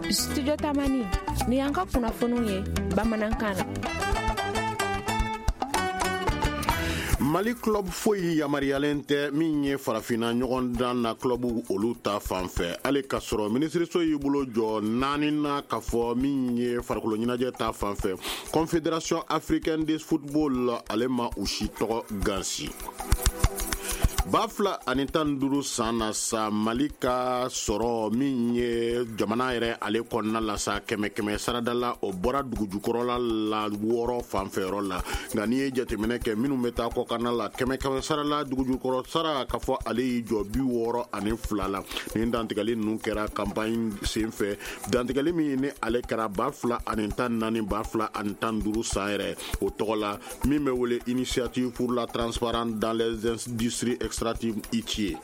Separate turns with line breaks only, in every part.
Studio Tamani ni y'an ka kunnafoniw ye bamanankan na.
Mali club foyi yamaruyalen tɛ min ye farafinna ɲɔgɔndan na club olu ta fan fɛ, hali k'a sɔrɔ minisiriso y'i bolo jɔ naani na k'a fɔ min ye farikolo ɲɛnajɛ ta fan fɛ, Confédération africaine de football ale ma u si tɔgɔ gansi. 2015 san na sa, Mali ka sɔrɔ min ye jamana yɛrɛ ale kɔnɔna la sa, kɛmɛ kɛmɛ sarada la, o bɔra dugujukɔrɔla la 6 fanfɛyɔrɔ la. Nka n'i ye jateminɛ kɛ minnu bɛ taa kɔkanna la, kɛmɛ kɛmɛ sara la, dugujukɔrɔ sara k'a fɔ ale y'i jɔ 62 la. Nin dantigɛli ninnu kɛra campagne sen fɛ, dantigɛli min ni ale kɛra 2014, 2015 san yɛrɛ o tɔgɔ la, min bɛ wele Initiative pour la transparence dans les industries extractives, ITIE.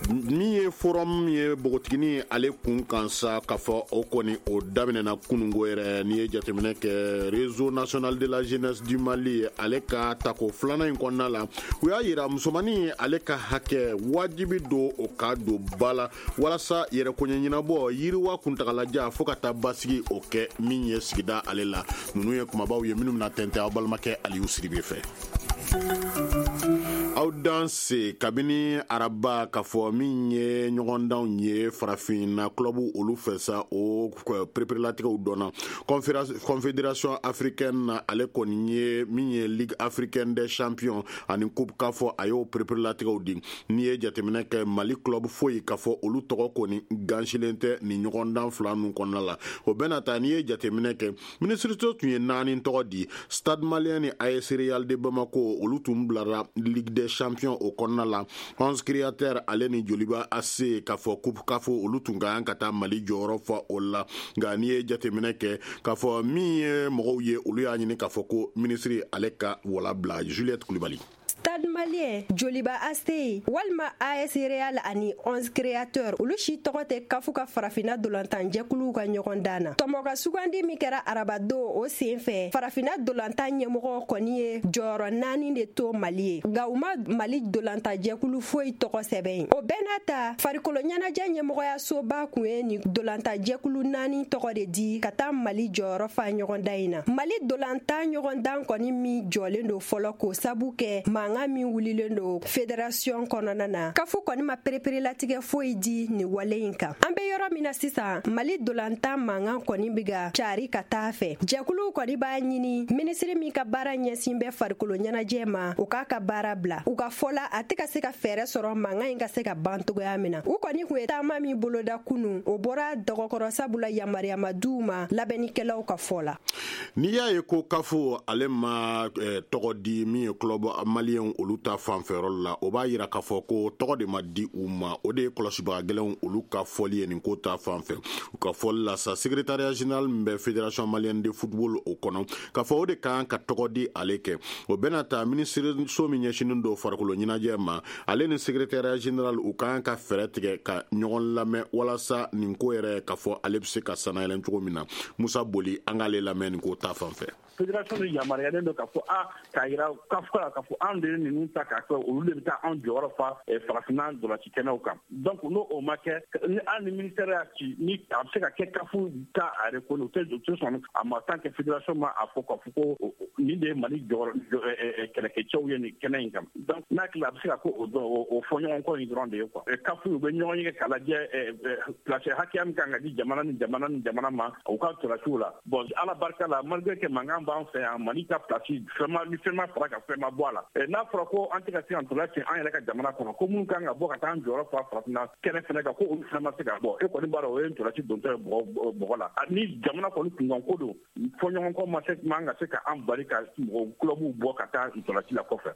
Min ye forum ye npogotigini ale kun kan sa, k'a fɔ o kɔni o daminɛna kunungo yɛrɛ. N'i ye jateminɛ kɛ Réseau national de la jeunesse du Mali ale ka tako filanan in kɔnɔna la, u y'a yira musomannin ale ka hakɛ wajibi don o ka don ba la walasa yɛrɛkoɲɛ ɲɛnabɔ, yiriwa kuntagalajan, fo ka taa basigi o kɛ min ye sigida ale la. Ninnu ye kumabaw ye minnu bɛna tɛntɛn aw balimakɛ Aliyu Siribe fɛ. Aw danse. Kabini araba, k'a fɔ min ye ɲɔgɔndanw ye farafinna club olu fɛ sa, o pereperelatigɛw dɔnna. Confédération africaine na, ale kɔni ye min ye Ligue africaine des champions ani Coupe CAF, a y'o pereperelatigɛw di. N'i ye jateminɛ kɛ, Mali club foyi k'a fɔ olu tɔgɔ kɔni gansilen tɛ nin ɲɔgɔndan fila ninnu kɔnɔna la. O bɛna ta, n'i ye jateminɛ kɛ, minisiriso tun ye naani tɔgɔ di. Stade Malien ni AS Real de Bamako, olu tun bilara Ligue des champions o kɔnɔna la. 11 Créateurs ale ni Joliba AC, k'a fɔ Coupe CAF, olu tun ka kan ka taa Mali jɔyɔrɔ fa o la. Nka n'i ye jateminɛ kɛ, k'a fɔ min ye mɔgɔw ye, olu y'a ɲini k'a fɔ ko minisiri ale ka wala bila. Juliette Kulibali.
Stade Malien, Joliba AC walima AS Real ani 11 Créateurs, olu si tɔgɔ tɛ CAF ka farafinna dolantan jɛkuluw ka ɲɔgɔn dan na. Tɔmɔ ka sugandi min kɛra arabadon, o sen fɛ, farafinna dolantan ɲɛmɔgɔ kɔni ye jɔyɔrɔ naani de to Mali ye, nka u ma Mali dolantan jɛkulu foyi tɔgɔ sɛbɛn yen. O bɛɛ n'a ta, farikolo ɲɛnajɛ ɲɛmɔgɔyasoba kun ye nin dolantan jɛkulu naani tɔgɔ de di ka taa Mali jɔyɔrɔ fa ɲɔgɔndan in na. Mali dolantan ɲɔgɔndan kɔni min jɔlen don fɔlɔ, k'o sabu kɛ mankan min wulilen don fédération kɔnɔna na, CAF kɔni ma pereperelatigɛ foyi di nin wale in kan. An bɛ yɔrɔ min na sisan, Mali dolantan mankan kɔni bɛ ka cari ka taa fɛ. Jɛkuluw kɔni b'a ɲini minisiri min ka baara ɲɛsin bɛ farikolo ɲɛnajɛ ma, o k'a ka baara bila. U ka fɔ la, a tɛ ka se ka fɛɛrɛ sɔrɔ mankan in ka se ka ban cogoya min na. U kɔni kun ye taama min boloda kunu, o bɔra dɔgɔkɔrɔ, sabula yamaruya ma d'u ma labɛnnikɛlaw ka fɔ la.
N'i y'a ye ko CAF ale ma tɔgɔ di min ye club malien olu ta fanfɛyɔrɔ la, o b'a yira k'a fɔ ko tɔgɔ de ma di u ma. O de ye kɔlɔsibaga gɛlɛnw olu ka fɔli ye nin ko ta fanfɛ. U ka fɔli la sa, secrétariat général min bɛ Fédération malienne de football o kɔnɔ, k'a fɔ o de kan ka tɔgɔ di ale kɛ. O bɛna ta, minisiriso min ɲɛsinnen don farikolo ɲɛnajɛ ma, ale ni secrétariat général, u kan ka fɛɛrɛ tigɛ ka ɲɔgɔn lamɛn walasa nin ko yɛrɛ, k'a fɔ ale bɛ se ka sanayɛlɛn cogo min na. Musa Boli, an k'ale lamɛn nin ko ta fanfɛ.
Fédération de yamaruyalen don k'a fɔ a k'a yira CAF la k'a fɔ an de ye ninnu ta k'a kɛ, olu de bɛ taa anw jɔyɔrɔ fa farafinna ntolanci kɛnɛw kan. Donc n'o o ma kɛ, ni hali ni ministère y'a ci, ni a bɛ se ka kɛ CAF ta a reconnu, u tɛ sɔn a ma tant que fédération ma a fɔ k'a fɔ ko nin de ye Mali jɔyɔrɔ kɛlɛkɛcɛw ye nin kɛnɛ in kan. Donc n'a hakili a bɛ se ka ko o fɔ ɲɔgɔn kɔ in dɔrɔn de ye quoi. CAF, u bɛ ɲɔgɔn ye k'a lajɛ place hakɛya min kan ka di jamana ni jamana ni jamana ma u ka ntolaciw la. Bon, Ala barika la, malgré que mankan b'an fɛ yan, Mali ka place fɛn ma, ni fɛn ma fara ka fɛn ma bɔ a la. N'a fɔra ko an tɛ ka se ka ntola ci an yɛrɛ ka jamana kɔnɔ, ko minnu kan ka bɔ ka taa an jɔyɔrɔ fa farafinna kɛnɛ fɛnɛ kan, ko olu fana ma se ka bɔ, e kɔni b'a dɔn o ye ntolaci dontɔ ye bɔgɔ la. Ni jamana kɔni kunkan ko don, fɔ ɲɔgɔn kɔ ma se man ka se ka an bali ka mɔgɔ clubw bɔ ka taa ntolaci la kɔfɛ.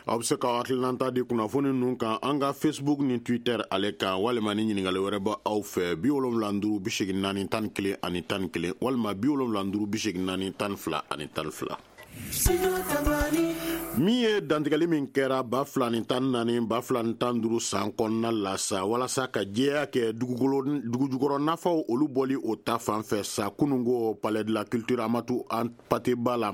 Aw bɛ se ka hakilinata di kunnafoni ninnu kan an ka Facebook ni Twitter ale kan, walima ni ɲininkali wɛrɛ bɛ aw fɛ, 75 84 11 walima 75 84 12. Min ye dantigɛli min kɛra 2014, 2015 san kɔnɔna la sa, walasa ka jɛya kɛ dugukolo dugujukɔrɔ nafaw olu bɔli o ta fan fɛ sa, kununko Palais de la Culture Amadou Hampâté Bâ la,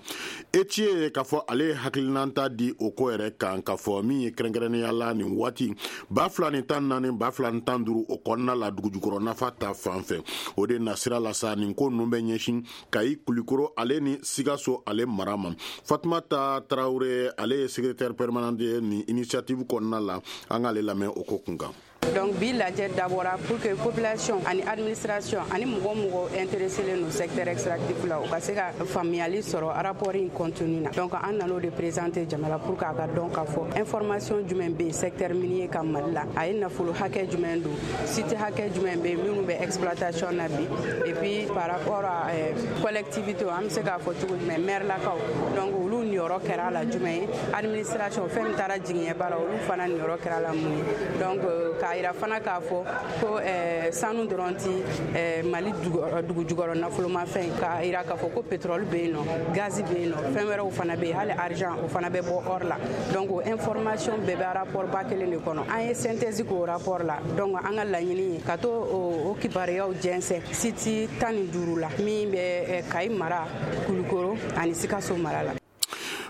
Etiye k'a fɔ ale ye hakilinanta di o ko yɛrɛ kan, k'a fɔ min ye kɛrɛnkɛrɛnnenya la nin waati 2014, 2015 o kɔnɔna la, dugujukɔrɔ nafa ta fan fɛ, o de nasira la sa, nin ko ninnu bɛ ɲɛsin Kayi, Kulikoro ale ni Sikaso ale mara ma. Fatumata Tarawele, ale ye secrétaire permanent ye nin initiative kɔnɔna la, an k'ale lamɛn o ko kun kan.
Donc bi lajɛ dabɔra pour que population ani administration ani mɔgɔ mɔgɔ intéressé len don secteur extractif la, u ka se ka faamuyali sɔrɔ rapport in contenu na. Donc an nan'o de présenter jama la pour que a ka dɔn k'a fɔ information jumɛn bɛ yen secteur minier ka Mali la, a ye nafolo hakɛ jumɛn don, site hakɛ jumɛn bɛ yen minnu bɛ exploitation na bi, et puis par rapport à collectivité, an bɛ se k'a fɔ cogo jumɛn, maire lakaw, donc olu niyɔrɔ kɛra a la jumɛn ye, administration fɛn min taara jigiɲɛba la, olu fana niyɔrɔ kɛra la mun ye. Donc k'a yira fana k'a fɔ ko sanu dɔrɔn ti Mali dugu jukɔrɔ nafolomafɛn, k'a yira k'a fɔ ko pétrole bɛ yen nɔ, gazi bɛ yen nɔ, fɛn wɛrɛw fana bɛ yen, hali argent o fana bɛ bɔ or la. Donc o information bɛɛ bɛ rapport ba kelen de kɔnɔ. An ye synthèse k'o rapport la. Donc an ka laɲini ye ka to o kibaruyaw jɛnsɛn site 15 la min bɛ Kayi mara, Kulukoro ani Sikaso mara la.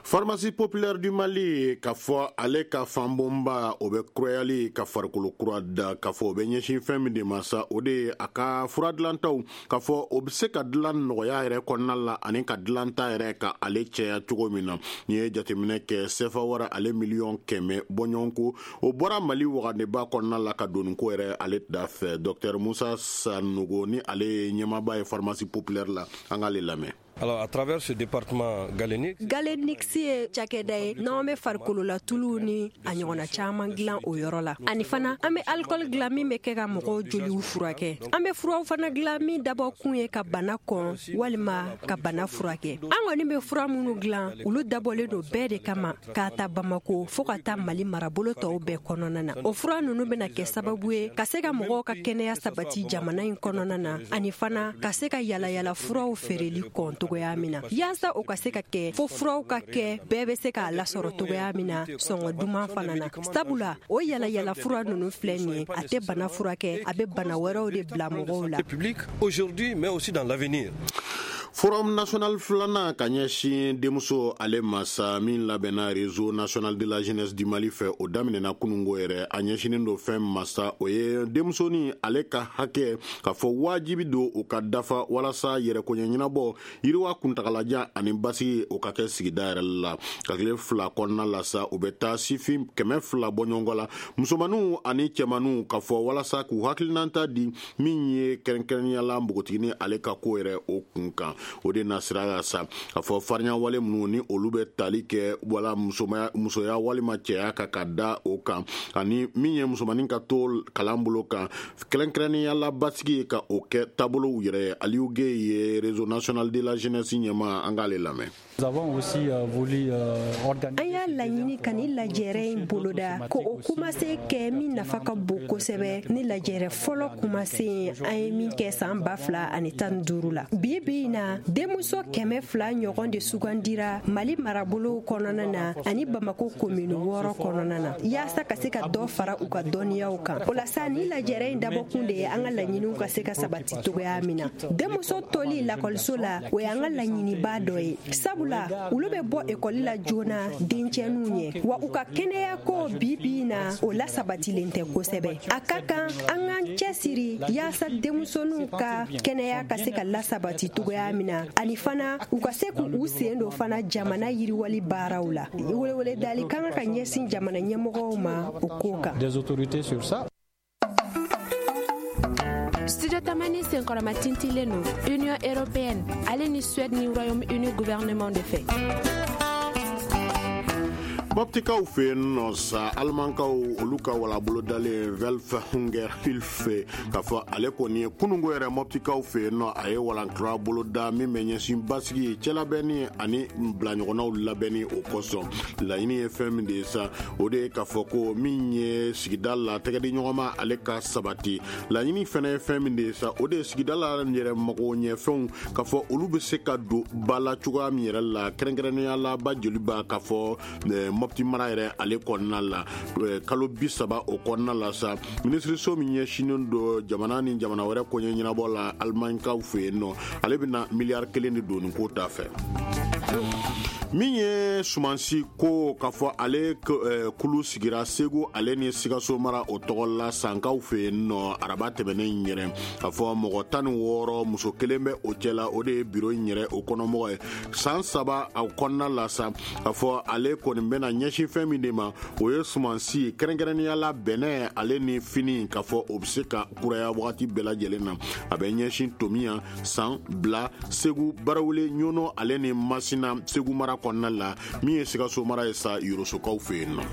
Pharmacie Populaire du Mali, k'a fɔ ale ka fanbonba o bɛ kurayali ka farikolo kura da, k'a fɔ o bɛ ɲɛsin fɛn min de ma sa, o de ye a ka fura dilantaw, k'a fɔ o bɛ se ka dilan nɔgɔya yɛrɛ kɔnɔna la ani ka dilanta yɛrɛ ka ale cɛya cogo min na. N'i ye jateminɛ kɛ, sefa wara ale 100 miliyɔn bɔɲɔgɔnko o bɔra Mali wagandeba kɔnɔna la ka don ko yɛrɛ ale da fɛ. Docteur Musa Sanogo, ni ale ye ɲɛmaaba ye Pharmacie Populaire la, an k'ale lamɛn.
Alors, à travers ce département Galénic,
Galenix ye cakɛda ye n'an bɛ farikololatuluw ni a ɲɔgɔnna caman dilan o yɔrɔ la. Ani fana, an bɛ alikɔli dilan min bɛ kɛ ka mɔgɔw joliw furakɛ. An bɛ furaw fana dilan min dabɔ kun ye ka bana kɔn walima ka bana furakɛ. An kɔni bɛ fura minnu dilan, olu dabɔlen don bɛɛ de kama, k'a ta Bamako fɔɔ ka taa Mali marabolo tɔw bɛɛ kɔnɔna na. O fura ninnu bɛna kɛ sababu ye ka se ka mɔgɔw ka kɛnɛya sabati jamana in kɔnɔna na, ani fana ka se ka yalayala furaw feereli kɔn togoya min na. Yaasa o ka se ka kɛ, fo furaw ka kɛ bɛɛ bɛ se k'a lasɔrɔ togoya min na, sɔngɔ duman fana na, sabula o yalayala fura ninnu filɛ nin ye, a tɛ bana furakɛ, a bɛ bana wɛrɛw de bila mɔgɔw la.
Public aujourd'hui, mais aussi dans l'avenir.
Forum national filanan ka ɲɛsin denmuso ale masa min labɛnna Réseau national de la jeunesse du Mali fɛ, o daminɛna kunungo yɛrɛ. A ɲɛsinin don fɛn masa, o ye denmusonin ale ka hakɛ, k'a fɔ wajibi don o ka dafa walasa yɛrɛkoɲɛ ɲɛnabɔ, yiriwa kuntagalajan ani basigi o ka kɛ sigida yɛrɛ la. Ka tile 2 kɔnɔna la sa, u bɛ taa sifin 200 bɔ ɲɔgɔn la, musomaninw ani cɛmaninw, k'a fɔ walasa k'u hakilinata di min ye kɛrɛnkɛrɛnnenya la npogotiginin ale ka ko yɛrɛ o kun kan. O de nasira la sa, k'a fɔ farinya wale minnu ni olu bɛ tali kɛ wala musoya walima cɛya kan ka da o kan, ani min ye musomanin ka to kalan bolo kan, kɛrɛnkɛrɛnnenya la basigi ka o kɛ taabolow yɛrɛ ye. Aliou Gueye ye Réseau national de la jeunesse ɲɛmaa, an k'ale lamɛn.
An y'a laɲini ka ni lajɛrɛ in boloda ko o kumase kɛ min nafa ka bon kosɛbɛ ni lajɛrɛ fɔlɔ kumase ye an ye min kɛ san 2015 la. Bi bi in na, denmuso 200 ɲɔgɔn de sugandira Mali marabolow kɔnɔna na ani Bamako komini 6 kɔnɔna na, yaasa ka se ka dɔ fara u ka dɔnniyaw kan. O la sa, ni lajɛrɛ in dabɔkun de ye an ka laɲiniw ka se ka sabati togoya min na. Denmuso toli lakɔliso la, o y'an ka laɲiniba dɔ ye, sabula olu bɛ bɔ ekɔli la joona dencɛninw ɲɛ, wa u ka kɛnɛya ko bi bi in na, o lasabatilen tɛ kosɛbɛ. A ka kan an k'an cɛsiri yaasa denmusoninw ka kɛnɛya ka se ka lasabati togoya min na, ani fana u ka se k'u sen don fana jamana yiriwali baaraw la. Welewele dali kan ka ɲɛsin jamana ɲɛmɔgɔw ma o ko kan.
Studio Tamani senkɔrɔma tintilen don Union européenne ale ni Suède ni Royaume-Uni gouvernement de fɛ.
Mɔptikaw fɛ yen nɔ sa, alimankaw olu ka walabolo dalen Welthungerhilfe, k'a fɔ ale kɔni ye kununko yɛrɛ Mɔptikaw fɛ yen nɔ, a ye walankura boloda min bɛ ɲɛsin basigi, cɛlabɛnni ani bilaɲɔgɔnnaw labɛnni o kosɔn. Laɲini ye fɛn min de ye sa, o de ye k'a fɔ ko min ye sigida la tɛgɛdi ɲɔgɔnma, ale ka sabati. Laɲini fɛnɛ ye fɛn min de ye sa, o de ye sigida la yɛrɛ mago ɲɛfɛnw, k'a fɔ olu bɛ se ka don ba la cogoya min yɛrɛ la, kɛrɛnkɛrɛnnenya la ba joliba, k'a fɔ Mɔpti mara yɛrɛ ale kɔnɔna la. Kalo 30 o kɔnɔna la sa, minisiriso min ɲɛsinnen don jamana ni jamana wɛrɛ koɲɛ ɲɛnabɔ la alimaɲikaw fɛ yen nɔ, ale bɛna miliyari 1 de don nin ko ta fɛ. Min ye sumansi ko, k'a fɔ ale kulu sigira Segu ale ni Sikaso mara o tɔgɔ la Sankaw fɛ yen nɔ araba tɛmɛnen in yɛrɛ, k'a fɔ mɔgɔ 16, muso kelen bɛ o cɛ la, o de ye biro in yɛrɛ o kɔnɔmɔgɔ ye. San 3 a kɔnɔna la sa, k'a fɔ ale kɔni bɛna ɲɛsin fɛn min de ma, o ye sumansi, kɛrɛnkɛrɛnnenya la bɛnɛ ale ni fini, k'a fɔ o bɛ se ka kuraya wagati bɛɛ lajɛlen na. A bɛ ɲɛsin Tomiya, San, Bila, Segu, Barawele, Ɲɔnɔ ale ni Masina, Segu mara kɔnɔna la. Min ye Sikaso mara ye sa, Yorosokaw fɛ yen nɔ,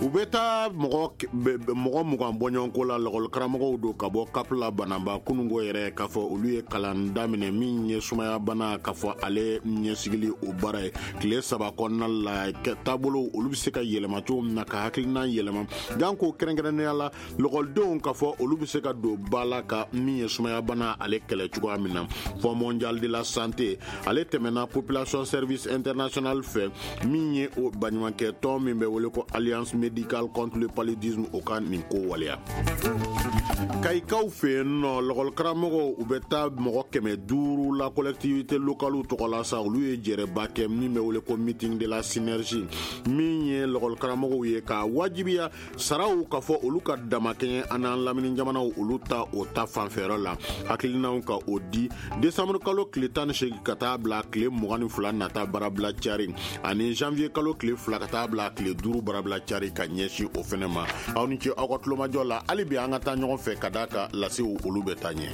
u bɛ taa mɔgɔ 20 bɔɲɔgɔnko la, lakɔlikaramɔgɔw don ka bɔ Kapila Banaba. Kununko yɛrɛ, k'a fɔ olu ye kalan daminɛ min ye sumaya bana, k'a fɔ ale ɲɛsigili o baara ye tile 3 kɔnɔna la. Taabolo olu bɛ se ka yɛlɛma cogo min na, ka hakilina yɛlɛma janko kɛrɛnkɛrɛnnenya la lakɔlidenw, k'a fɔ olu bɛ se ka don ba la ka min ye sumaya bana ale kɛlɛ cogoya min na. Fonds mondial de la santé ale tɛmɛna Population Service International fɛ, min ye o baɲumankɛ tɔn min bɛ wele ko Alliance médicale contre le paludisme, o ka nin ko waleya. Kayikaw fɛ yen nɔ, lakɔlikaramɔgɔw, u bɛ taa mɔgɔ 500 la collectivité locale tɔgɔ la sa, olu ye jɛrɛba kɛ min bɛ wele ko meeting de la synergie, min ye lakɔlikaramɔgɔw ye ka wajibiya saraw, k'a fɔ olu ka damakɛɲɛ an n'an lamini jamanaw olu ta o ta fanfɛyɔrɔ la. Hakilinaw ka o di desanburu kalo tile 18 ka taa bila tile 22 nata barabila cari, ani janvier kalo tile 2 ka taa bila tile 5 barabila cari ka ɲɛsin o fɛnɛ ma. Aw ni ce aw ka tulomajɔ la. Hali bi an ka taa ɲɔgɔn fɛ ka d'a ka lasew olu bɛ taa ɲɛ.